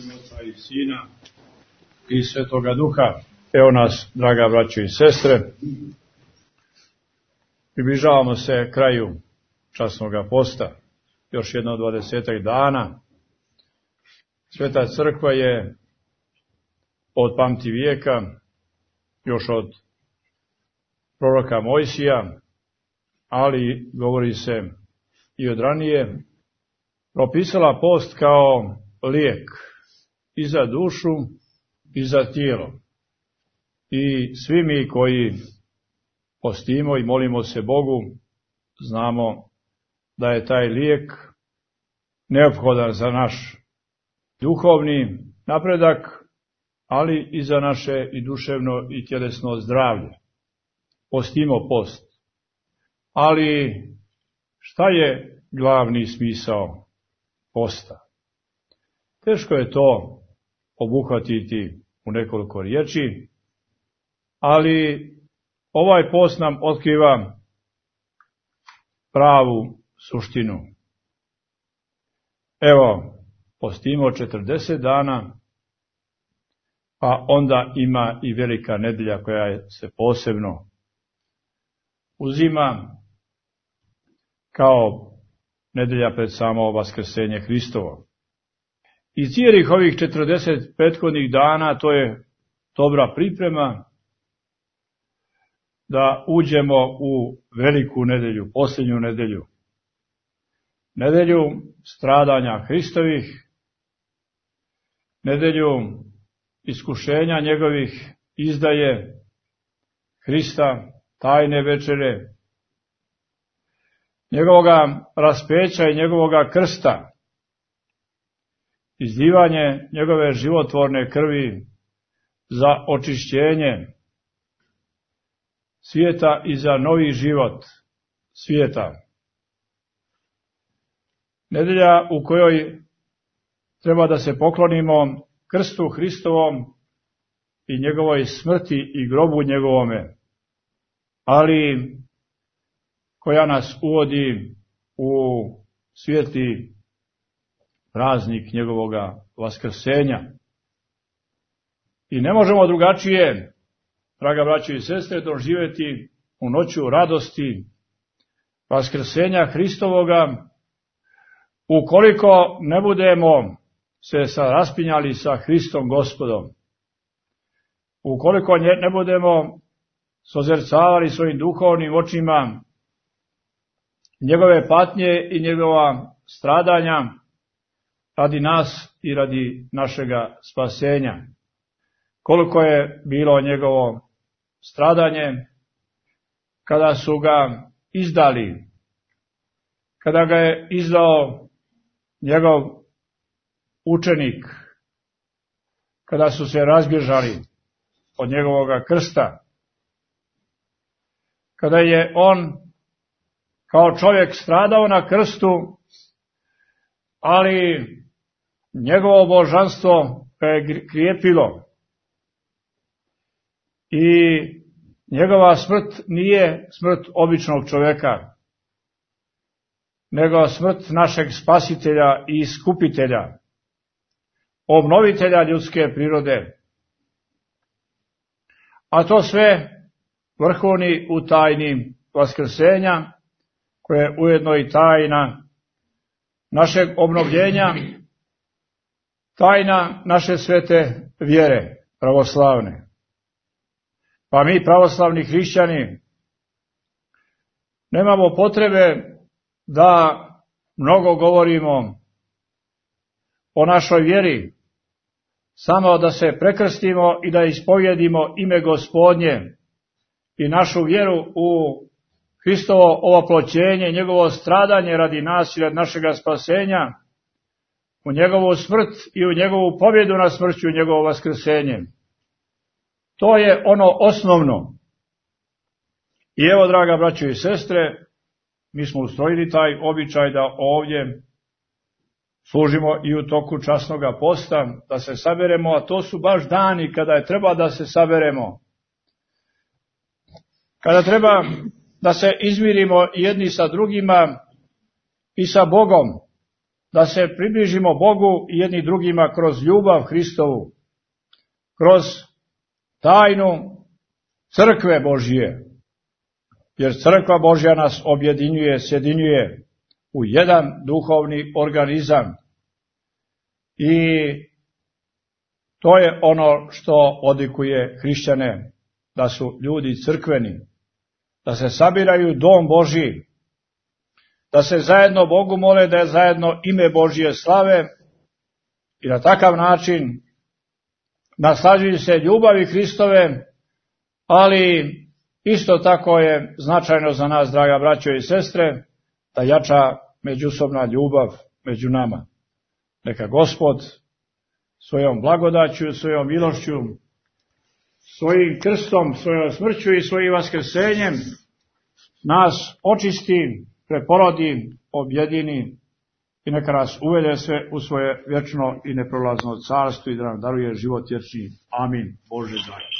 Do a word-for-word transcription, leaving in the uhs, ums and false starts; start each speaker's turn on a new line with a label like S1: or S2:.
S1: ime Oca i Sina i Svetoga Duha. Evo nas, draga braćo i sestre, približavamo se kraju časnoga posta, još jedno dvadesetak dana. Sveta crkva je od pamti vijeka, još od proroka Mojsija, ali govori se i od ranije, propisala post kao lijek i za dušu i za tijelo. I svi mi koji postimo i molimo se Bogu, znamo da je taj lijek neophodan za naš duhovni napredak, ali i za naše i duševno i tjelesno zdravlje. Postimo post. Ali šta je glavni smisao posta? Teško je to obuhvatiti u nekoliko riječi, ali ovaj post nam otkriva pravu suštinu. Evo, postimo četrdeset dana, pa onda ima i velika nedelja koja se posebno uzima kao nedelja pred samo vaskrsenje Hristovo. I cijelih ovih četrdeset prethodnih dana to je dobra priprema da uđemo u veliku nedelju, posljednju nedelju. Nedelju stradanja Hristovih, nedelju iskušenja njegovih, izdaje Hrista, tajne večere, njegovoga raspeća i njegovoga krsta, izlivanje njegove životvorne krvi za očišćenje svijeta i za novi život svijeta. Nedelja u kojoj treba da se poklonimo krstu Hristovom i njegovoj smrti i grobu njegovome, ali koja nas uvodi u svijetli praznik njegovoga vaskrsenja. I ne možemo drugačije, draga braćo i sestre, doživjeti u noću radosti vaskrsenja Hristovoga, ukoliko ne budemo se raspinjali sa Hristom Gospodom, ukoliko ne budemo sozercavali svojim duhovnim očima njegove patnje i njegova stradanja radi nas i radi našega spasenja. Koliko je bilo njegovo stradanje kada su ga izdali, kada ga je izdao njegov učenik, kada su se razbježali od njegovoga krsta, kada je on kao čovjek stradao na krstu, ali njegovo božanstvo ga je krijepilo i njegova smrt nije smrt običnog čovjeka, nego smrt našeg spasitelja i iskupitelja, obnovitelja ljudske prirode. A to sve vrhovni u tajni vaskrsenja, koje je ujedno i tajna našeg obnovljenja, tajna naše svete vjere pravoslavne. Pa mi, pravoslavni hrišćani, nemamo potrebe da mnogo govorimo o našoj vjeri, samo da se prekrstimo i da ispovjedimo ime Gospodnje i našu vjeru u Hristovo ovoploćenje, njegovo stradanje radi nas i radi našega spasenja, u njegovu smrt i u njegovu pobjedu na smrću i njegovo vaskrsenje. To je ono osnovno. I evo, draga braćo i sestre, mi smo ustrojili taj običaj da ovdje služimo i u toku časnoga posta, da se saberemo, a to su baš dani kada je treba da se saberemo. Kada treba da se izmirimo jedni sa drugima i sa Bogom, da se približimo Bogu i jedni drugima kroz ljubav Hristovu, kroz tajnu crkve Božije, jer crkva Božja nas objedinjuje, sjedinjuje u jedan duhovni organizam i to je ono što odlikuje hrišćane, da su ljudi crkveni, da se sabiraju dom Božji, da se zajedno Bogu mole, da je zajedno ime Božje slave i na takav način naslađuju se ljubavi Hristove, ali isto tako je značajno za nas, draga braćo i sestre, da jača međusobna ljubav među nama. Neka Gospod svojom blagodaću, svojom milošću, svojim krstom, svojom smrću i svojim vaskrsenjem nas očisti, preporodi, objedini i neka nas uvede sve u svoje vječno i neprolazno carstvo i da nam daruje život vječni. Amin. Bože dragi.